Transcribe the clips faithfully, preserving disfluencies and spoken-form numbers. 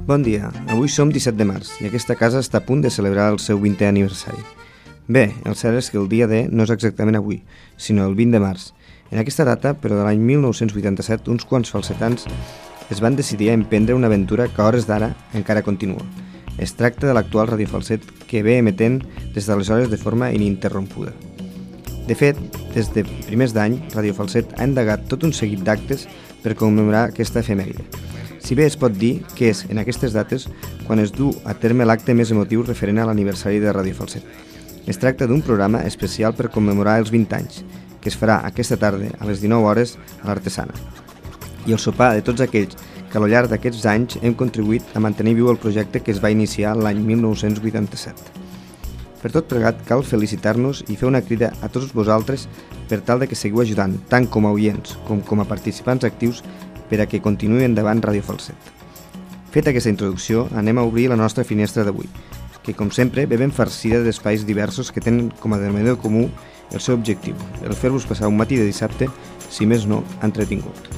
Bon dia, avui som disset de març i aquesta casa està a punt de celebrar el seu vintè aniversari. Bé, el cert és que el dia D no és exactament avui, sinó el vint de març. En aquesta data, però de l'any mil nou-cents vuitanta-set, uns quants falsetans es van decidir a emprendre una aventura que a hores d'ara encara continua. Es tracta de l'actual radiofalset que ve emetent des d'aleshores de forma ininterrompuda. De fet, des de primers d'any, Radio Falset ha endegat tot un seguit d'actes per commemorar aquesta efemèride. Si bé es pot dir que és en aquestes dates quan es du a terme l'acte més emotiu referent a l'aniversari de Radio Falset. Es tracta d'un programa especial per commemorar els vint anys, que es farà aquesta tarda a les dinou hores a l'Artesana. I el sopar de tots aquells que al llarg d'aquests anys hem contribuït a mantenir viu el projecte que es va iniciar l'any mil nou-cents vuitanta-set. Per tot plegat, cal felicitar-nos i fer una crida a tots vosaltres per tal de que seguiu ajudant, tant com a oients com com a participants actius, per a que continuï endavant Radio Falset. Feta aquesta introducció, anem a obrir la nostra finestra d'avui, que com sempre ve ben farcida d'espais diversos que tenen com a denominador comú el seu objectiu, el fer-vos passar un matí de dissabte, si més no, entretingut.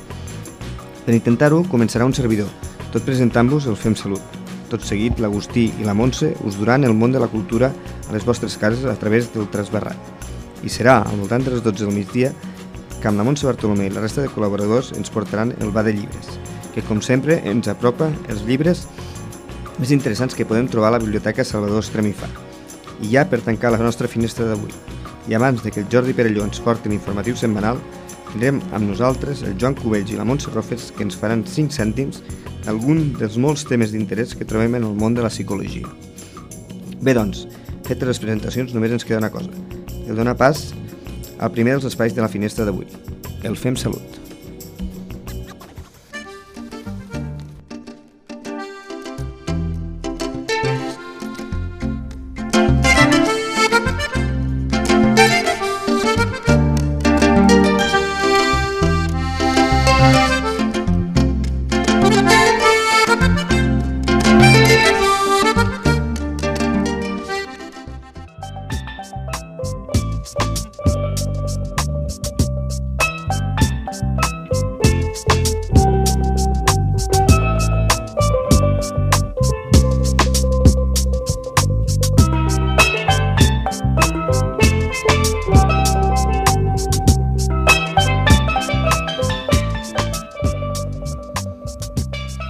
Per intentar-ho, començarà un servidor, tot presentant-vos el Fem Salut. Tot seguit, l'Agustí i la Montse us duran el món de la cultura a les vostres cases a través del Trasbarrat. I serà al voltant de les dotze del migdia que amb la Montse Bartolomé i la resta de col·laboradors ens portaran el Ba de Llibres, que com sempre ens apropa els llibres més interessants que podem trobar a la Biblioteca Salvador Estrem i Far. I ja per tancar la nostra finestra d'avui, i abans de que el Jordi Perelló ens porti l'informatiu setmanal, tindrem amb nosaltres el Joan Cubells i la Montse Rofes que ens faran cinc cèntims d'algun dels molts temes d'interès que trobem en el món de la psicologia. Bé, doncs, fetes les presentacions, només ens queda una cosa, el donar pas al primer dels espais de la finestra d'avui, el Fem Salut.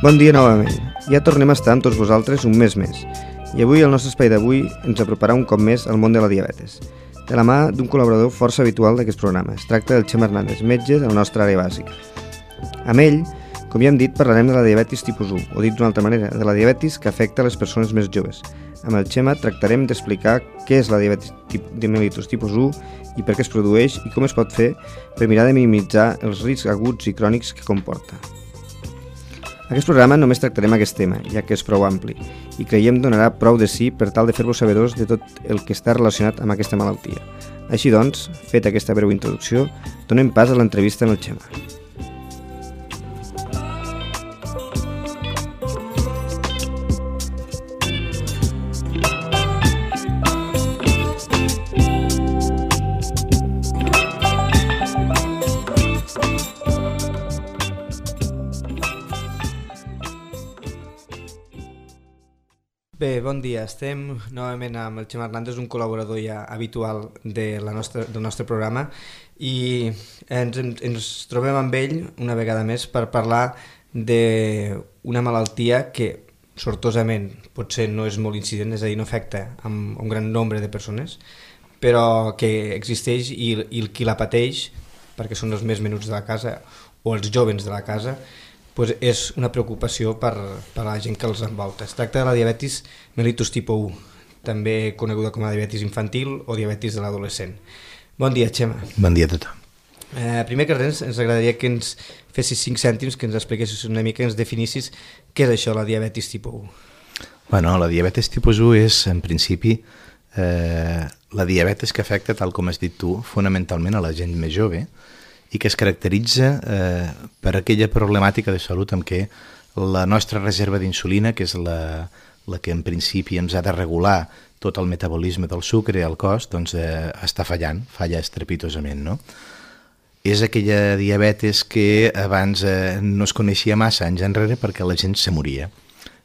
Bon dia novament. Ja tornem a estar amb tots vosaltres un mes més. I avui el nostre espai d'avui ens aproparà un cop més al món de la diabetes. De la mà d'un col·laborador força habitual d'aquest programa. Es tracta del Xema Hernández, metge de la nostra àrea bàsica. Amb ell, com ja hem dit, parlarem de la diabetis tipus u, o dit d'una altra manera, de la diabetis que afecta a les persones més joves. Amb el Xema tractarem d'explicar què és la diabetis de mellitus tipus u i per què es produeix i com es pot fer per mirar de minimitzar els riscs aguts i crònics que comporta. Aquest programa només tractarem aquest tema, ja que és prou ampli, i creiem donarà prou de sí per tal de fer-vos sabedors de tot el que està relacionat amb aquesta malaltia. Així doncs, feta aquesta breu introducció, donem pas a l'entrevista amb el Xema. Bé, bon dia. Estem novament amb el Xema Hernández, un col·laborador ja habitual de la nostra, del nostre programa, i ens, ens trobem amb ell una vegada més per parlar d'una malaltia que sortosament potser no és molt incident, és a dir, no afecta a un gran nombre de persones, però que existeix i, i qui la pateix, perquè són els més menuts de la casa o els jovens de la casa, pues és una preocupació per, per a la gent que els envolta. Es tracta de la diabetis mellitus tipus u, també coneguda com a diabetis infantil o diabetis de l'adolescent. Bon dia, Xema. Bon dia a tothom. Eh, primer que res, ens agradaria que ens fessis cinc cèntims, que ens expliquessis una mica, que ens definissis què és això, la diabetis tipus u. Bueno, la diabetis tipus u és, en principi, eh, la diabetis que afecta, tal com has dit tu, fonamentalment a la gent més jove, i que es caracteritza eh, per aquella problemàtica de salut en què la nostra reserva d'insulina, que és la, la que en principi ens ha de regular tot el metabolisme del sucre al cos, doncs eh, està fallant, falla estrepitosament, no? És aquella diabetes que abans eh, no es coneixia massa anys enrere perquè la gent se moria.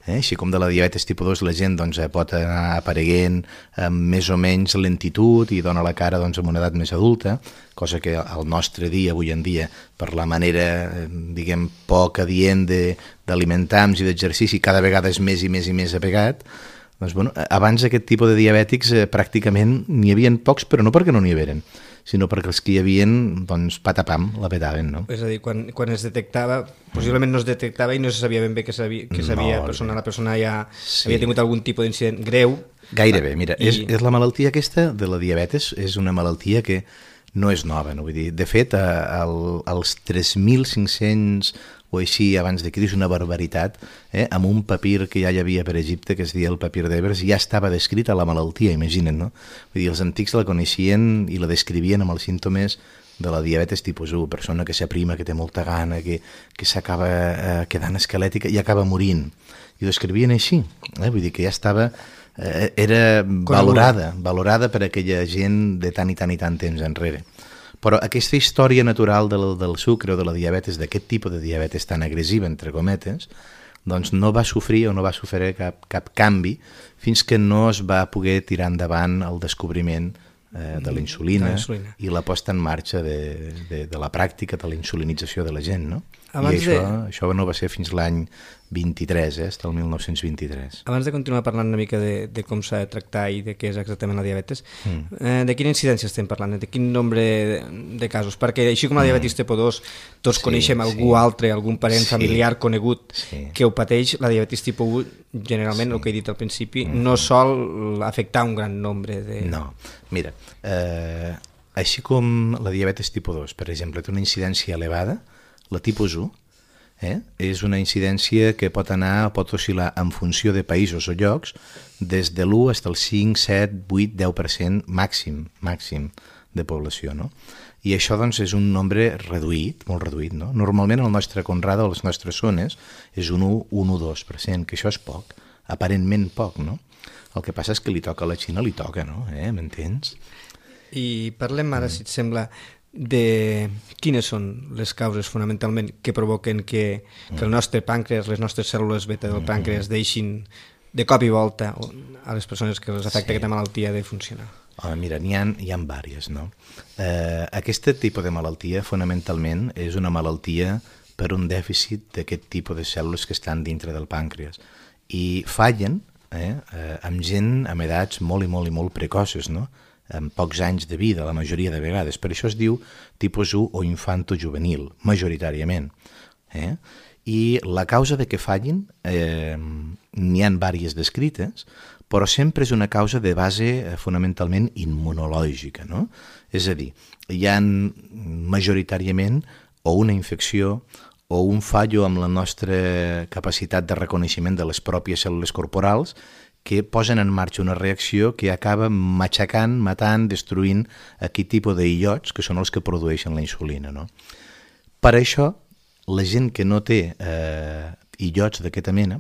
Eh? Així com de la diabetes tipus dos la gent doncs, pot anar apareguent amb més o menys lentitud i dona la cara doncs, en una edat més adulta, cosa que al nostre dia, avui en dia, per la manera, diguem, poc adient d'alimentar-nos i d'exercici, cada vegada és més i més i més apegat. Doncs, bueno, abans aquest tipus de diabètics eh, pràcticament n'hi havia pocs, però no perquè no n'hi haveren, sinó perquè els que hi havia, doncs, patapam, la petaven, no? És a dir, quan, quan es detectava, possiblement no es detectava i no se sabia ben bé que s'havia, que s'havia no, persona, la persona ja sí. havia tingut algun tipus d'incident greu. Gairebé, mira, i... és, és la malaltia aquesta de la diabetes, és una malaltia que no és nova, no? Vull dir, de fet, el, els tres mil cinc-cents o així abans de Crist, una barbaritat, eh? Amb un papir que ja hi havia per Egipte, que es deia el papir d'Ebers, ja estava descrita la malaltia, imagina't, no? Vull dir, els antics la coneixien i la descrivien amb els símptomes de la diabetes tipus u, persona que s'aprima, que té molta gana, que, que s'acaba eh, quedant esquelètica i acaba morint. I ho descrivien així, eh? Vull dir que ja estava... Eh, era valorada, valorada per aquella gent de tant i tant i tant temps enrere. Però aquesta història natural del, del sucre o de la diabetes, d'aquest tipus de diabetes tan agressiva, entre cometes, doncs no va sofrir o no va sofrir cap, cap canvi fins que no es va poder tirar endavant el descobriment eh, de la insulina i la posta en marxa de, de, de la pràctica de la insulinització de la gent, no? Abans I això, de... això no va ser fins l'any vint-i-tres, eh, fins el mil nou-cents vint-i-tres. Abans de continuar parlant una mica de, de com s'ha de tractar i de què és exactament la diabetes, mm. eh, de quina incidència estem parlant? De quin nombre de, de casos? Perquè així com la diabetis tipus dos, tots sí, coneixem algú sí. altre, algun parent sí. familiar conegut sí. que ho pateix, la diabetis tipus u, generalment, sí. el que he dit al principi, mm. no sol afectar un gran nombre de... No, mira, eh, així com la diabetis tipus dos, per exemple, té una incidència elevada, la tipus u, Eh? és una incidència que pot anar, pot oscil·lar en funció de països o llocs des de l'u fins al cinc, set, vuit, deu per cent màxim, màxim de població, no? I això doncs és un nombre reduït, molt reduït, no? Normalment el nostre Conrada o les nostres zones és un u, un u coma dos per cent, que això és poc, aparentment poc, no? El que passa és que li toca a la Xina, li toca, no? Eh? M'entens? I parlem ara, mm. si et sembla, de quines són les causes fonamentalment que provoquen que, que el nostre pàncreas, les nostres cèl·lules beta del pàncreas deixin de cop i volta a les persones que les afecta sí. aquesta malaltia de funcionar. Oh, mira, n'hi ha, hi ha diverses, no? Eh, aquest tipus de malaltia fonamentalment és una malaltia per un dèficit d'aquest tipus de cèl·lules que estan dintre del pàncreas i fallen eh, eh, amb gent amb edats molt i molt i molt precoces, no? Amb pocs anys de vida, la majoria de vegades. Per això es diu tipus u o infanto-juvenil, majoritàriament. Eh? I la causa de que fallin, eh, n'hi ha diverses descrites, però sempre és una causa de base eh, fonamentalment immunològica, no? És a dir, hi ha majoritàriament o una infecció o un fallo amb la nostra capacitat de reconeixement de les pròpies cèl·lules corporals que posen en marxa una reacció que acaba matxacant, matant, destruint aquest tipus d'illots que són els que produeixen la insulina, no? Per això, la gent que no té eh, illots d'aquesta mena,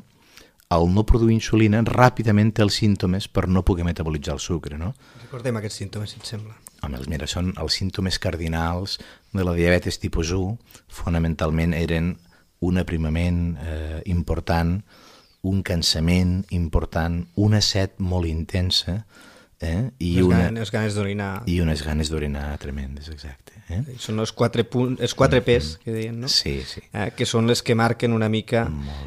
al no produir insulina, ràpidament té els símptomes per no poder metabolitzar el sucre, no? Recordem aquests símptomes, si et sembla. Home, mira, són els símptomes cardinals de la diabetes tipus u, fonamentalment eren un aprimament eh, important, un cansament important, una set molt intensa eh? I les, una, ganes, ganes d'orinar. I unes ganes d'orinar tremendes, exacte. Eh? Són els quatre, punt, els quatre P's que deien, no? Sí, sí. Eh, que són les que marquen una mica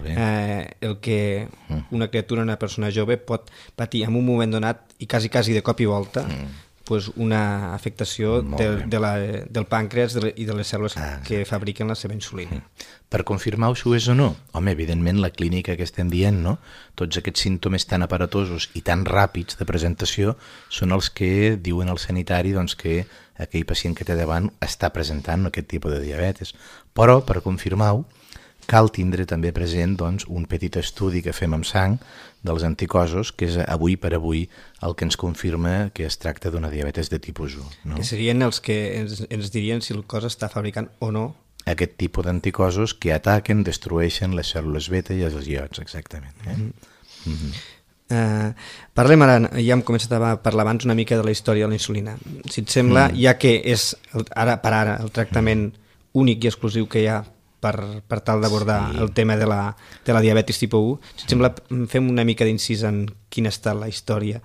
eh, el que una criatura, una persona jove pot patir en un moment donat i quasi, quasi de cop i volta mm. pues una afectació de, de la, del pàncreas de, i de les cèl·lules ah, que fabriquen la seva insulina. Per confirmar si ho és o no? Home, evidentment la clínica que estem dient, no? Tots aquests símptomes tan aparatosos i tan ràpids de presentació són els que diuen al sanitari doncs, que aquell pacient que té davant està presentant aquest tipus de diabetes. Però, per confirmar-ho, cal tindre també present doncs, un petit estudi que fem amb sang dels anticossos, que és avui per avui el que ens confirma que es tracta d'una diabetes de tipus u. No? Que serien els que ens, ens dirien si el cos està fabricant o no aquest tipus d'anticossos que ataquen, destrueixen les cèl·lules beta i els iots, exactament. Eh? Mm-hmm. Mm-hmm. Uh, parlem ara, ja hem començat a parlar abans una mica de la història de la insulina. Si et sembla, mm. ja que és el, ara per ara el tractament mm. únic i exclusiu que hi ha per, per tal d'abordar sí. el tema de la, de la diabetis tipus u. Si et sembla, fem una mica d'incís en quina ha estat la història,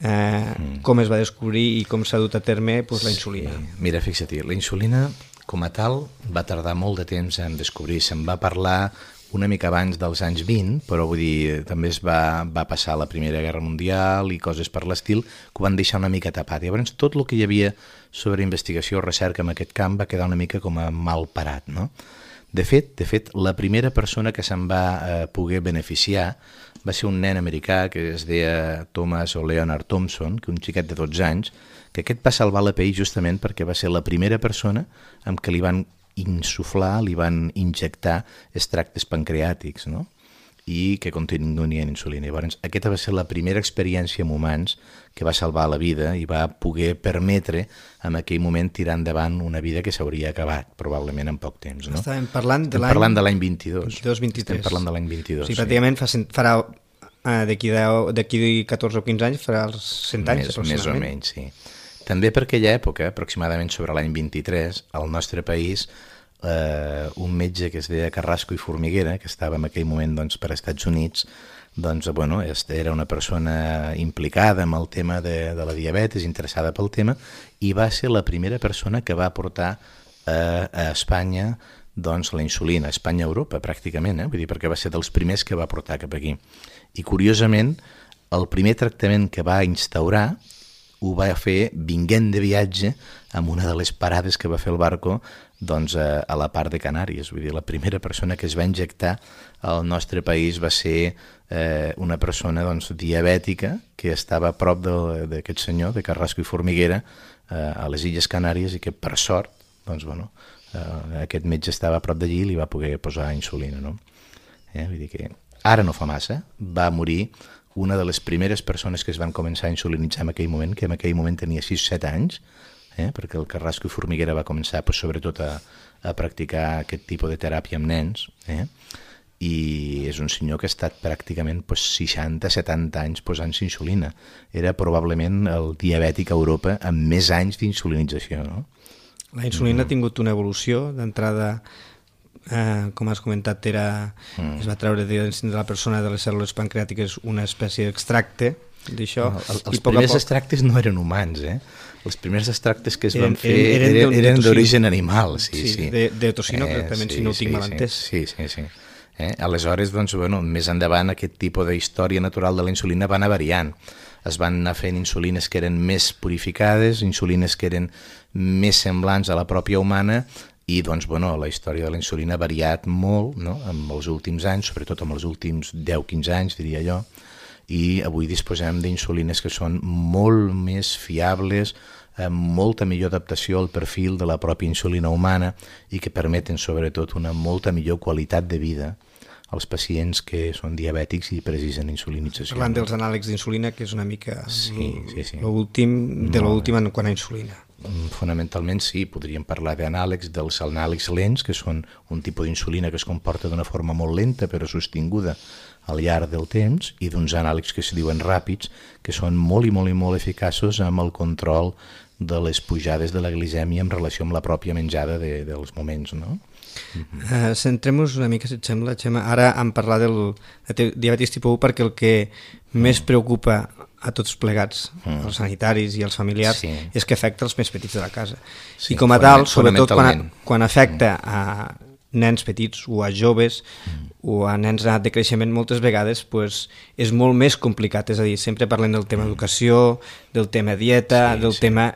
eh, mm. com es va descobrir i com s'ha dut a terme pues, la insulina. Sí. Mira, fixa't, la insulina com a tal va tardar molt de temps en descobrir. Se'n va parlar una mica abans dels anys vint, però vull dir, també es va, va passar la Primera Guerra Mundial i coses per l'estil que ho van deixar una mica tapat. I llavors tot el que hi havia sobre investigació o recerca en aquest camp va quedar una mica com a mal parat, no? De fet, de fet, la primera persona que se'n va eh, poder beneficiar va ser un nen americà que es deia Thomas o Leonard Thompson, que un xiquet de dotze anys, que aquest va salvar la pell justament perquè va ser la primera persona amb què li van insuflar, li van injectar extractes pancreàtics, no? I que contenien insulina. Llavors, aquesta va ser la primera experiència amb humans que va salvar la vida i va poder permetre en aquell moment tirar endavant una vida que s'hauria acabat, probablement en poc temps. No? Estàvem parlant de l'any... Estem parlant de l'any vint-i-dos. vint-i-dos vint-i-tres. Estem parlant de l'any vint-i-dos. O sigui, pràcticament fa, farà, d'aquí catorze o quinze anys, farà els cent anys, més, aproximadament. Més o menys, sí. També per aquella època, aproximadament sobre l'any vint-i-tres, al nostre país... Uh, un metge que es deia Carrasco i Formiguera, que estava en aquell moment doncs, per als Estats Units, doncs, bueno, era una persona implicada en el tema de, de la diabetes, interessada pel tema, i va ser la primera persona que va portar a, a Espanya doncs, la insulina, a Espanya-Europa pràcticament, eh? Vull dir, perquè va ser dels primers que va portar cap aquí. I curiosament, el primer tractament que va instaurar ho va fer vinguent de viatge amb una de les parades que va fer el barco doncs, a, a la part de Canàries. Vull dir, la primera persona que es va injectar al nostre país va ser eh, una persona doncs, diabètica que estava a prop d'aquest senyor, de Carrasco i Formiguera, eh, a les Illes Canàries, i que per sort doncs, bueno, eh, aquest metge estava a prop d'allí i li va poder posar insulina. No? Eh? Vull dir que ara no fa massa, va morir una de les primeres persones que es van començar a insulinitzar en aquell moment, que en aquell moment tenia sis o set anys, eh? perquè el Carrasco i Formiguera va començar pues, sobretot a, a practicar aquest tipus de teràpia amb nens, eh? i és un senyor que ha estat pràcticament pues, seixanta a setanta anys posant-se insulina. Era probablement el diabètic a Europa amb més anys d'insulinització. No? La insulina mm. ha tingut una evolució d'entrada... Eh, com has comentat, era, mm. es va treure de dins de la persona de les cèl·lules pancreàtiques una espècie d'extracte d'això. No, el, els primers poc... extractes no eren humans, eh? Els primers extractes que es eren, van fer eren, eren, eren d'origen animal. Sí, sí, sí. De, de tocino, eh, també, sí, si no ho tinc sí, mal entès. Sí, sí, sí. Eh? Aleshores, doncs, bueno, més endavant, aquest tipus de història natural de la insulina va anar variant. Es van anar fent insulines que eren més purificades, insulines que eren més semblants a la pròpia humana, i doncs, bueno, la història de la insulina ha variat molt, no? En els últims anys, sobretot en els últims deu a quinze anys, diria jo, i avui disposem d'insulines que són molt més fiables, amb molta millor adaptació al perfil de la pròpia insulina humana i que permeten sobretot una molta millor qualitat de vida als pacients que són diabètics i precisen insulinització. Parlant dels anàlegs d'insulina, que és una mica sí, sí, sí. l'últim de l'últim en quant a insulina. Fonamentalment sí, podríem parlar d'anàlegs, dels anàlegs lents, que són un tipus d'insulina que es comporta d'una forma molt lenta però sostinguda al llarg del temps, i d'uns anàlegs que es diuen ràpids, que són molt i molt i molt eficaços amb el control de les pujades de la glicèmia en relació amb la pròpia menjada de, dels moments, no? Uh-huh. Uh, Centrem-nos una mica, si et sembla, Xema. Ara hem parlat del de diabetis tipus u perquè el que més preocupa a tots plegats, mm. els sanitaris i els familiars, sí. és que afecta els més petits de la casa. Sí, I com a tal, sobretot quan, quan afecta mm. a nens petits o a joves mm. o a nens de creixement, moltes vegades pues, és molt més complicat. És a dir, sempre parlem del tema mm. educació, del tema dieta, sí, del sí. tema...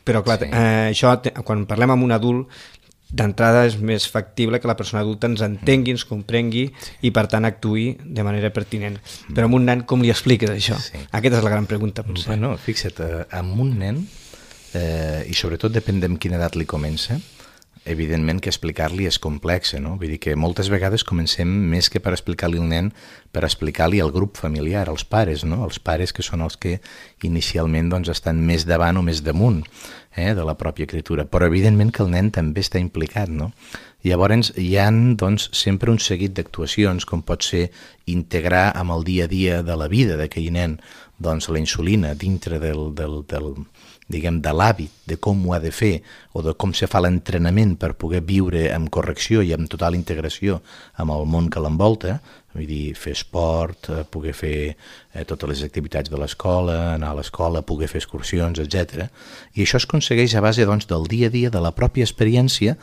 Però clar, sí. eh, això, quan parlem amb un adult, d'entrada és més factible que la persona adulta ens entengui, ens comprengui i per tant actuï de manera pertinent. Però amb un nen com li expliques això? Sí. Aquesta és la gran pregunta, potser. Bueno, fixa't, amb un nen, eh, i sobretot depèn de quina edat li comença, evidentment que explicar-li és complex, no? Vull dir que moltes vegades comencem més que per explicar-li al nen, per explicar-li al grup familiar, als pares, no? Els pares que són els que inicialment doncs, estan més davant o més damunt eh, de la pròpia criatura, però evidentment que el nen també està implicat, no? Llavors hi ha doncs, sempre un seguit d'actuacions, com pot ser integrar amb el dia a dia de la vida d'aquell nen doncs, la insulina dintre del, del, del, diguem, de l'hàbit, de com ho ha de fer o de com se fa l'entrenament per poder viure amb correcció i amb total integració amb el món que l'envolta, vull dir, fer esport, eh, poder fer eh, totes les activitats de l'escola, anar a l'escola, poder fer excursions, etcètera. I això es aconsegueix a base, doncs, del dia a dia, de la pròpia experiència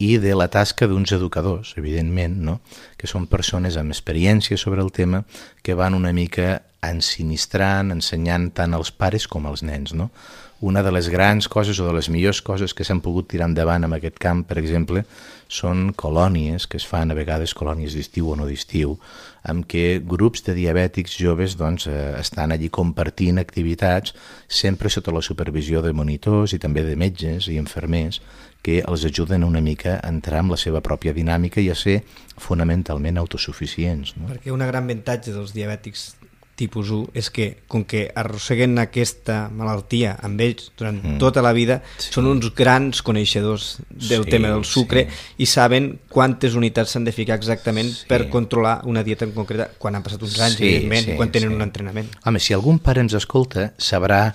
i de la tasca d'uns educadors, evidentment, no? Que són persones amb experiència sobre el tema que van una mica ensinistrant, ensenyant tant als pares com als nens, no? Una de les grans coses o de les millors coses que s'han pogut tirar endavant en aquest camp, per exemple, són colònies que es fan, a vegades colònies d'estiu o no d'estiu, amb què grups de diabètics joves doncs, eh, estan allí compartint activitats, sempre sota la supervisió de monitors i també de metges i infermers, que els ajuden una mica a entrar en la seva pròpia dinàmica i a ser fonamentalment autosuficients. No? Perquè un gran avantatge dels diabètics tipus u és que, com que arrosseguen aquesta malaltia amb ells durant mm. tota la vida, sí. són uns grans coneixedors del sí, tema del sucre sí. i saben quantes unitats s'han de ficar exactament sí. per controlar una dieta en concreta quan han passat uns anys, sí, evidentment, sí, quan tenen sí. un entrenament. Home, si algun pare ens escolta, sabrà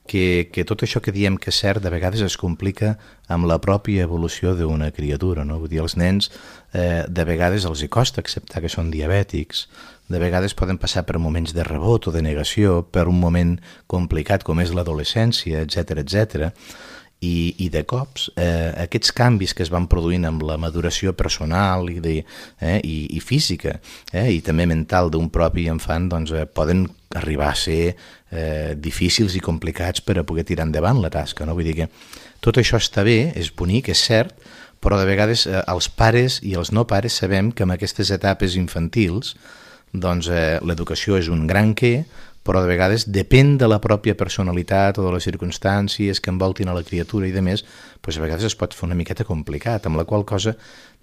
que, que tot això que diem que és cert de vegades es complica amb la pròpia evolució d'una criatura, no? Vull dir, els nens eh, de vegades els hi costa acceptar que són diabètics, de vegades poden passar per moments de rebot o de negació, per un moment complicat com és l'adolescència, etcètera, etcètera. I, i de cops eh, aquests canvis que es van produint amb la maduració personal i, de, eh, i, i física eh, i també mental d'un propi infant doncs, eh, poden arribar a ser eh, difícils i complicats per a poder tirar endavant la tasca. No? Vull dir que tot això està bé, és bonic, és cert, però de vegades eh, els pares i els no pares sabem que en aquestes etapes infantils doncs, eh, l'educació és un gran què, però de vegades depèn de la pròpia personalitat o de les circumstàncies que envoltin a la criatura i de més, doncs a vegades es pot fer una miqueta complicat, amb la qual cosa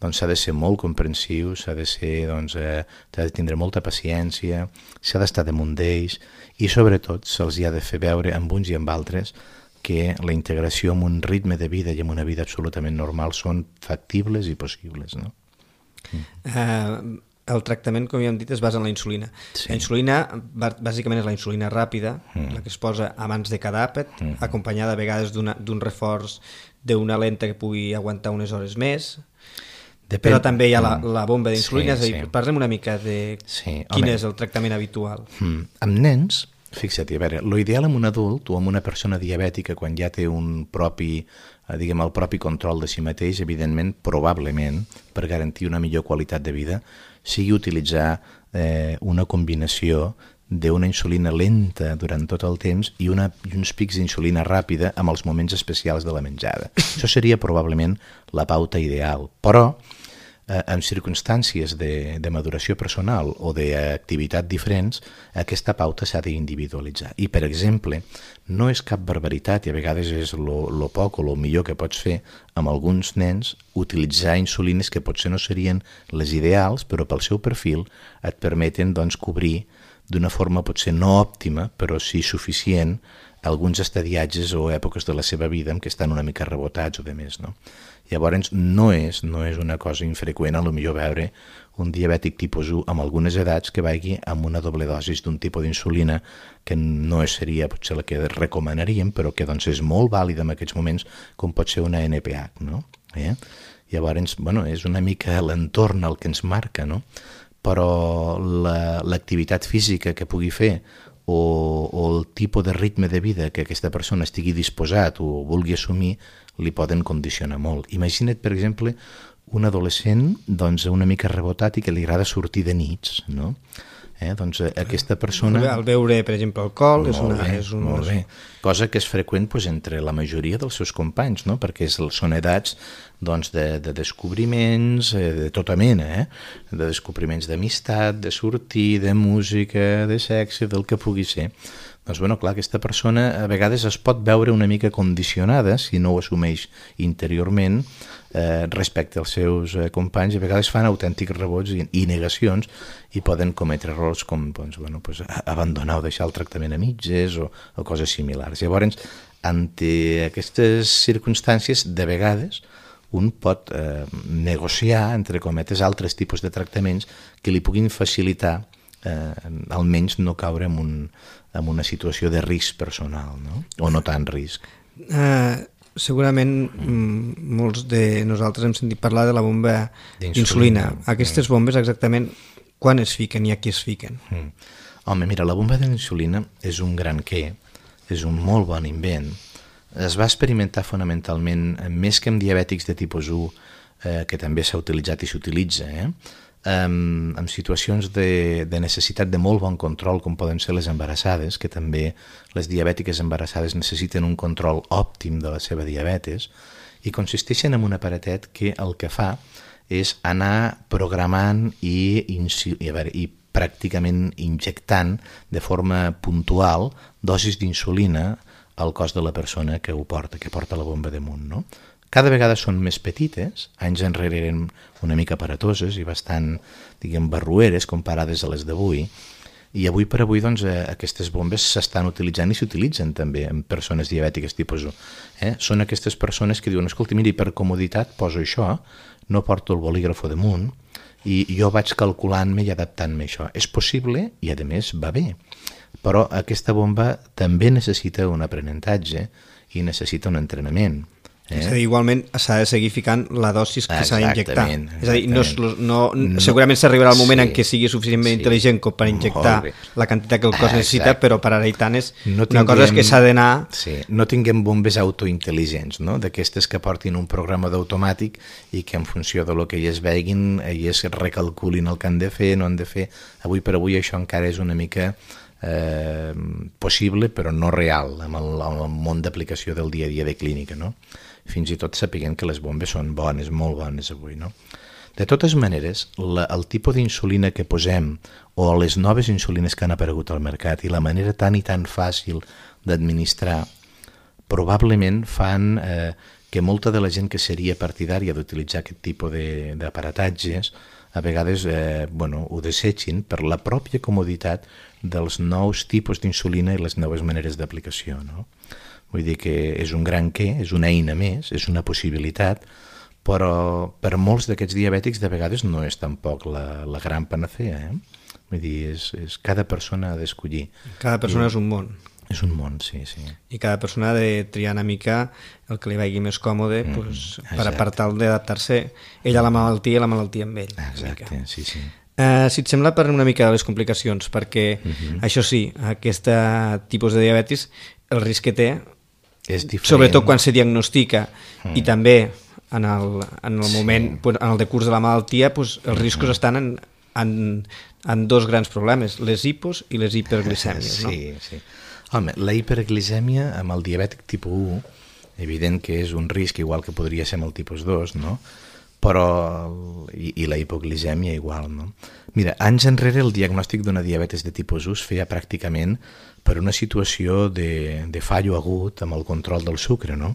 doncs, s'ha de ser molt comprensiu, s'ha de ser, doncs, eh, s'ha de tindre molta paciència, s'ha d'estar damunt d'ells i sobretot se'ls ha de fer veure amb uns i amb altres que la integració amb un ritme de vida i amb una vida absolutament normal són factibles i possibles. No? Mm. Uh... El tractament, com ja hem dit, es basa en la insulina. Sí. La insulina, bàsicament, és la insulina ràpida, mm. la que es posa abans de cada àpat, mm. acompanyada a vegades d'un reforç d'una lenta que pugui aguantar unes hores més. Depèn. Però també hi ha la, la bomba d'insulina. Sí, és a dir, sí. Parlem una mica de sí. quin Home. és el tractament habitual. Mm. Amb nens, fixa't, a veure, l'ideal amb un adult o amb una persona diabètica quan ja té un propi, diguem, el propi control de si mateix, evidentment, probablement, per garantir una millor qualitat de vida, sigui utilitzar eh, una combinació d'una insulina lenta durant tot el temps i, una, i uns pics d'insulina ràpida amb els moments especials de la menjada. Això seria probablement la pauta ideal, però eh, en circumstàncies de, de maduració personal o d'activitat diferents, aquesta pauta s'ha d'individualitzar. I, per exemple, no és cap barbaritat, i a vegades és lo, lo poc o lo millor que pots fer amb alguns nens, utilitzar insulines que potser no serien les ideals, però pel seu perfil et permeten doncs, cobrir d'una forma potser no òptima, però sí suficient, alguns estadiatges o èpoques de la seva vida en què estan una mica rebotats o de més. No? Llavors no és, no és una cosa infreqüent a lo millor veure un diabètic tipus u amb algunes edats que vagi amb una doble dosis d'un tipus d'insulina que no seria potser la que recomanaríem, però que doncs, és molt vàlida en aquests moments, com pot ser una N P H. No? Eh? Llavors, bueno, és una mica l'entorn el que ens marca, no? Però l'activitat la, física que pugui fer o, o el tipus de ritme de vida que aquesta persona estigui disposat o vulgui assumir li poden condicionar molt. Imagina't, per exemple, un adolescent doncs, una mica rebotat i que li agrada sortir de nits, no? Eh? Doncs aquesta persona... Al veure, per exemple, alcohol... Molt és una, bé, és un... molt bé. Cosa que és freqüent doncs, entre la majoria dels seus companys, no? Perquè és, són edats doncs, de, de descobriments de tota mena, eh? De descobriments d'amistat, de sortir, de música, de sexe, del que pugui ser. Doncs, bueno, clar, aquesta persona a vegades es pot veure una mica condicionada, si no ho assumeix interiorment, eh, respecte als seus eh, companys, i a vegades fan autèntics rebots i, i negacions i poden cometre errors com doncs, bueno, pues, abandonar o deixar el tractament a mitges o, o coses similars. Llavors, ante aquestes circumstàncies, de vegades, un pot eh, negociar, entre cometes, altres tipus de tractaments que li puguin facilitar eh, almenys no caure en, un, en una situació de risc personal, no? O no tant risc. Uh, segurament mm, molts de nosaltres hem sentit parlar de la bomba d'insulina. Aquestes bombes exactament quan es fiquen i a qui es fiquen? Mm. Home, mira, la bomba d'insulina és un gran què, és un molt bon invent. Es va experimentar fonamentalment més que amb diabètics de tipus u, eh, que també s'ha utilitzat i s'utilitza, eh? amb, amb situacions de, de necessitat de molt bon control, com poden ser les embarassades, que també les diabètiques embarassades necessiten un control òptim de la seva diabetes, i consisteixen en un aparatet que el que fa és anar programant i, i, a veure, i pràcticament injectant de forma puntual dosis d'insulina al cos de la persona que ho porta, que porta la bomba damunt, no? Cada vegada són més petites, anys enrere eren una mica aparatoses i bastant, diguem, barrueres comparades a les d'avui, i avui per avui doncs, eh, aquestes bombes s'estan utilitzant i s'utilitzen també en persones diabètiques tipus u. Eh? Són aquestes persones que diuen, escolta, mira, per comoditat poso això, no porto el bolígrafo damunt, i jo vaig calculant-me i adaptant-me a això. És possible i, a més, va bé, però aquesta bomba també necessita un aprenentatge i necessita un entrenament. Eh? És a dir, igualment s'ha de seguir ficant la dosis que s'ha d'injectar. És a dir, no, no, no, segurament s'arribarà el moment sí, en què sigui suficientment sí, intel·ligent com per injectar la quantitat que el cos ah, necessita, exacte. però per ara i tant és no una tinguem, cosa és que s'ha d'anar... Sí, no tinguem bombes autointel·ligents, no? D'aquestes que portin un programa d'automàtic i que en funció de lo que elles veguin, elles recalculin el que han de fer, no han de fer. Avui per avui això encara és una mica... Eh, possible però no real amb el, amb el món d'aplicació del dia a dia de clínica, no? Fins i tot sapiguem que les bombes són bones, molt bones avui, no? De totes maneres, la, el tipus d'insulina que posem o les noves insulines que han aparegut al mercat i la manera tan i tan fàcil d'administrar probablement fan eh, que molta de la gent que seria partidària d'utilitzar aquest tipus d'aparatatges a vegades eh, bueno, ho desitgin per la pròpia comoditat dels nous tipus d'insulina i les noves maneres d'aplicació, no? Vull dir que és un gran què, és una eina més, és una possibilitat, però per molts d'aquests diabètics de vegades no és tampoc la, la gran panacea, eh? Vull dir, és, és, cada persona ha d'escollir. Cada persona I, és un món. És un món, sí, sí. I cada persona ha de triar una mica el que li vagi més còmode mm, pues, per, per tal d'adaptar-se ell a la malaltia i la malaltia amb ell. Exacte, sí, sí. Uh, si et sembla, parlem una mica de les complicacions, perquè uh-huh. això sí, aquest tipus de diabetis, el risc que té, és diferent. Sobretot quan se diagnostica mm. i també en el, en el moment, sí. pues, en el decurs de la malaltia, pues, els mm-hmm. riscos estan en, en, en dos grans problemes, les hipos i les hiperglicèmies. No? Sí, sí. Home, la hiperglicèmia amb el diabètic tipus u, evident que és un risc igual que podria ser amb el tipus dos, no? Però i, i la hipoglicèmia igual, no? Mira, anys enrere el diagnòstic d'una diabetes de tipus u es feia pràcticament per una situació de, de fallo agut amb el control del sucre, no?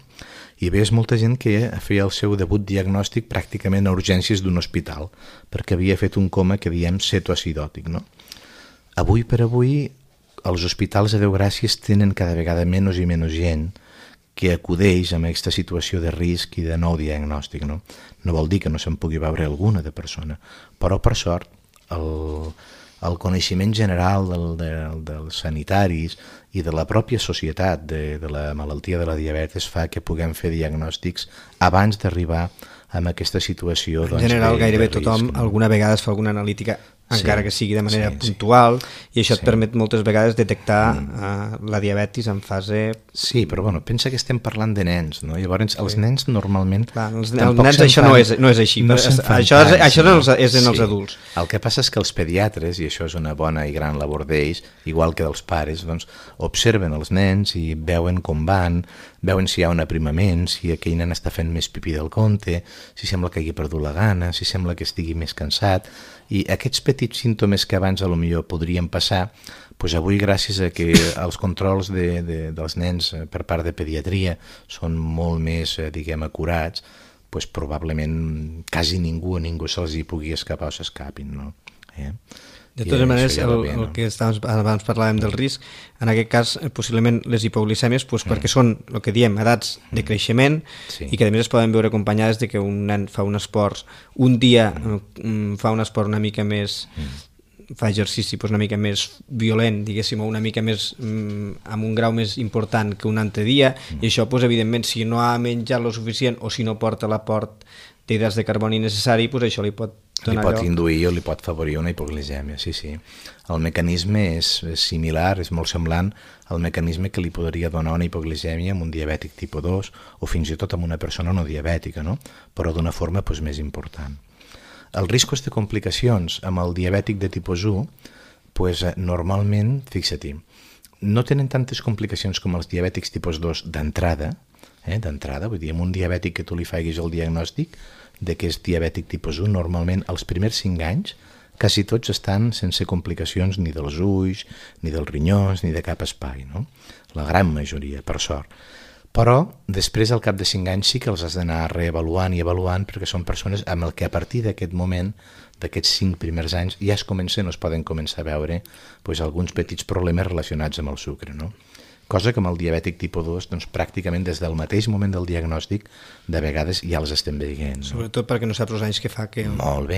I veies molta gent que feia el seu debut diagnòstic pràcticament a urgències d'un hospital, perquè havia fet un coma que diem cetoacidòtic, no? Avui per avui, els hospitals, a Déu gràcies, tenen cada vegada menys i menys gent que acudeix amb aquesta situació de risc i de nou diagnòstic, no? No vol dir que no se'n pugui veure alguna de persona, però per sort el, el coneixement general del, del, dels sanitaris i de la pròpia societat de, de la malaltia de la diabetes fa que puguem fer diagnòstics abans d'arribar a aquesta situació. En doncs, general, de, gairebé de risc, tothom no? alguna vegada es fa alguna analítica, encara sí, que sigui de manera sí, puntual, sí. i això et sí. permet moltes vegades detectar mm. uh, la diabetis en fase... Sí, però bueno, pensa que estem parlant de nens, no? Llavors, els sí. nens normalment... Clar, els, els nens això fan, no, és, no és així, no això, tant, és, això no? és, és en sí. els adults. El que passa és que els pediatres, i això és una bona i gran labor d'ells, igual que dels pares, doncs, observen els nens i veuen com van, veuen si hi ha un aprimament, si aquell nen està fent més pipí del compte, si sembla que hagi perdut la gana, si sembla que estigui més cansat, i aquests petits símptomes que abans a lo millor podrien passar, doncs avui gràcies a que els controls de, de, dels nens per part de pediatria són molt més, diguem, acurats, doncs probablement quasi ningú a ningú se'ls hi pugui escapar o s'escapin, no? Eh? De totes maneres, el, bé, no? el que estàvem, abans parlàvem del risc, en aquest cas, possiblement les hipoglicèmies, doncs, mm. perquè són, el que diem, edats de creixement, sí. i que a més es poden veure acompanyades de que un nen fa un esport, un dia mm. fa un esport una mica més, mm. fa exercici doncs, una mica més violent, diguéssim, o una mica més mm, amb un grau més important que un altre dia, mm. i això, doncs, evidentment, si no ha menjat lo suficient o si no porta l'aport d'hidrats de carboni necessari, doncs això li pot donar li pot lloc. induir o li pot favorir una hipoglicèmia, sí, sí. El mecanisme és, és similar, és molt semblant al mecanisme que li podria donar una hipoglicèmia amb un diabètic tipus dos o fins i tot amb una persona no diabètica, no? Però d'una forma doncs, més important. Els riscos de complicacions amb el diabètic de tipus u, pues, normalment, fixa-t'hi, no tenen tantes complicacions com els diabètics tipus dos d'entrada, eh, d'entrada, vull dir, amb un diabètic que tu li faiguis el diagnòstic de que és diabètic tipus u, normalment els primers cinc anys quasi tots estan sense complicacions ni dels ulls, ni dels rinyons, ni de cap espai, no? La gran majoria, per sort. Però després, al cap de cinc anys, sí que els has d'anar reavaluant i avaluant perquè són persones amb el que a partir d'aquest moment, d'aquests cinc primers anys, ja es comencen o es poden començar a veure doncs, alguns petits problemes relacionats amb el sucre, no? Cosa que amb el diabètic tipus dos, doncs, pràcticament des del mateix moment del diagnòstic, de vegades ja els estem veient. No? Sobretot perquè no saps els anys que fa que,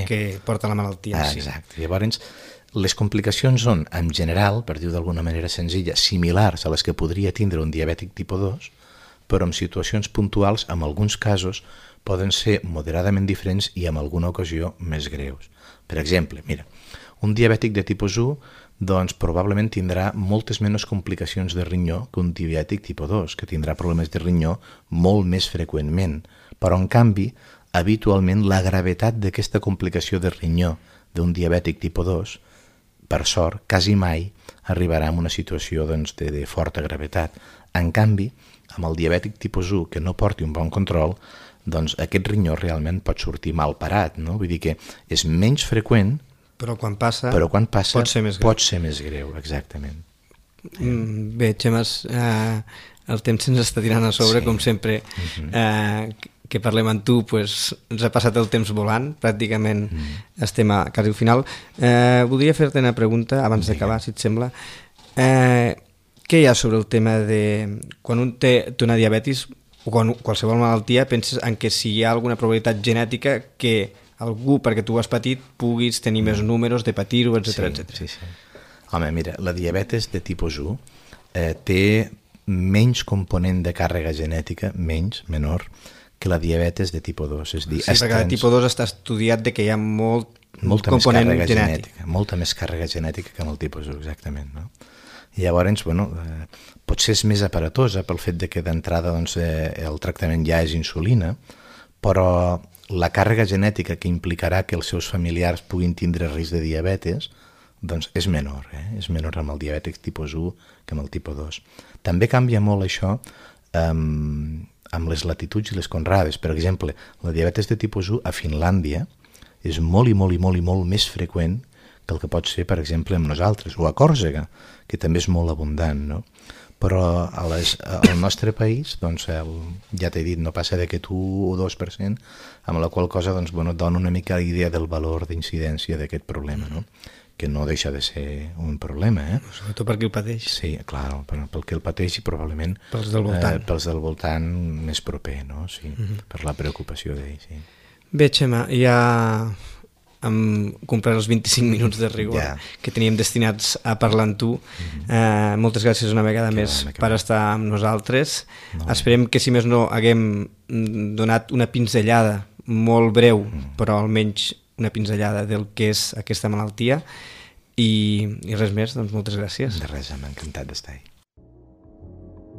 que porta la malaltia. Ah, exacte. Sí. Llavors, les complicacions són, en general, per dir-ho d'alguna manera senzilla, similars a les que podria tindre un diabètic tipus dos, però en situacions puntuals, en alguns casos, poden ser moderadament diferents i en alguna ocasió més greus. Per exemple, mira, un diabètic de tipus u doncs, probablement tindrà moltes menys complicacions de rinyó que un diabètic tipus dos, que tindrà problemes de rinyó molt més freqüentment. Però, en canvi, habitualment la gravetat d'aquesta complicació de rinyó d'un diabètic tipus dos, per sort, quasi mai arribarà a una situació doncs, de, de forta gravetat. En canvi, amb el diabètic tipus u que no porti un bon control, doncs aquest rinyó realment pot sortir mal parat, no? Vull dir que és menys freqüent, però quan passa, però quan passa pot ser més greu. Pot ser més greu, exactament. Mm, bé, Xemes, eh, el temps se'ns està tirant a sobre, sí. Com sempre, uh-huh. eh, que parlem amb tu, pues, ens ha passat el temps volant, pràcticament uh-huh. estem a quasi al final. Eh, voldria fer-te una pregunta, abans d'acabar, si et sembla. Eh, què hi ha sobre el tema de... Quan un té, té una diabetis, o quan, qualsevol malaltia, penses en que si hi ha alguna probabilitat genètica que algú, perquè tu has patit, puguis tenir més números de patir-ho, etcètera, sí, etcètera. Sí, sí. Home, mira, la diabetes de tipus u eh, té menys component de càrrega genètica, menys, menor, que la diabetes de tipus dos. És dir, sí, perquè el tipus dos està estudiat de que hi ha molt molta component més càrrega genètic. genètica. Molta més càrrega genètica que amb el tipus u, exactament, no? I llavors, bueno, eh, potser és més aparatosa pel fet de que d'entrada doncs, eh, el tractament ja és insulina, però la càrrega genètica que implicarà que els seus familiars puguin tindre risc de diabetes doncs és menor, eh? És menor amb el diabètic tipus u que amb el tipus dos. També canvia molt això amb, amb les latituds i les conrades. Per exemple, la diabetes de tipus u a Finlàndia és molt i molt i molt i molt més freqüent que el que pot ser, per exemple, amb nosaltres, o a Còrsega, que també és molt abundant, no? Però a les, al nostre país, doncs, el, ja t'he dit, no passa d'aquest u o dos per cent, amb la qual cosa doncs, bueno, dona una mica la idea del valor d'incidència d'aquest problema, no? Que no deixa de ser un problema. Eh? Sobretot per qui el pateix. Sí, clar, pel, pel que el pateix i probablement pels del voltant, eh, pels del voltant més proper, no? Sí, uh-huh. Per la preocupació d'ell, sí. Bé, Xema, ja hem complert els vint-i-cinc minuts de rigor yeah. que teníem destinats a parlar amb tu. Mm-hmm. eh, moltes gràcies una vegada que més va, per va. estar amb nosaltres. No. Esperem que, si més no, haguem donat una pinzellada molt breu, mm. però almenys una pinzellada del que és aquesta malaltia. I, i res més, doncs moltes gràcies. De res, m'ha encantat d'estar ahí.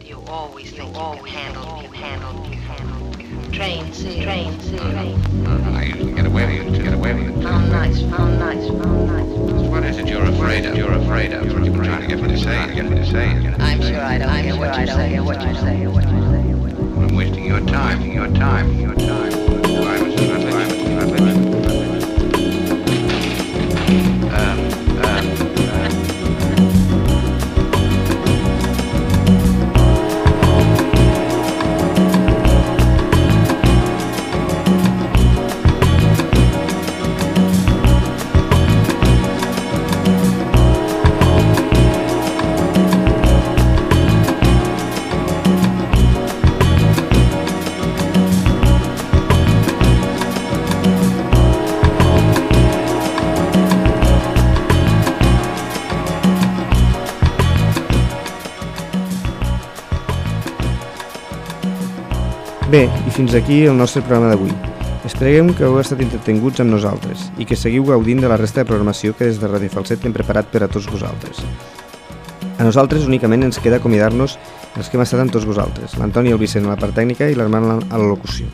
You always think you can handle, you handle, you handle. Train, see, train, see, train. I usually get away with it, get away with it. How nice, how nice, how nice. What is it you're afraid of? You're afraid of. You're trying to get me to say, get me to say. I'm sure I don't hear what you say, what you say, what you say. I'm wasting your time, your time, your time. Violence, violence, violence. Um, um, Bé, i fins aquí el nostre programa d'avui. Esperem que heu estat entretinguts amb nosaltres i que seguiu gaudint de la resta de programació que des de Ràdio Falset hem preparat per a tots vosaltres. A nosaltres únicament ens queda acomiadar-nos els que hem estat amb tots vosaltres, l'Antoni i el Vicent a la part tècnica i l'Armand a la locució.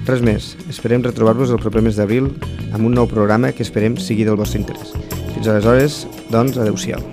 Res més, esperem retrobar-vos el proper mes d'abril amb un nou programa que esperem sigui del vostre interès. Fins aleshores, doncs, adeu-siau.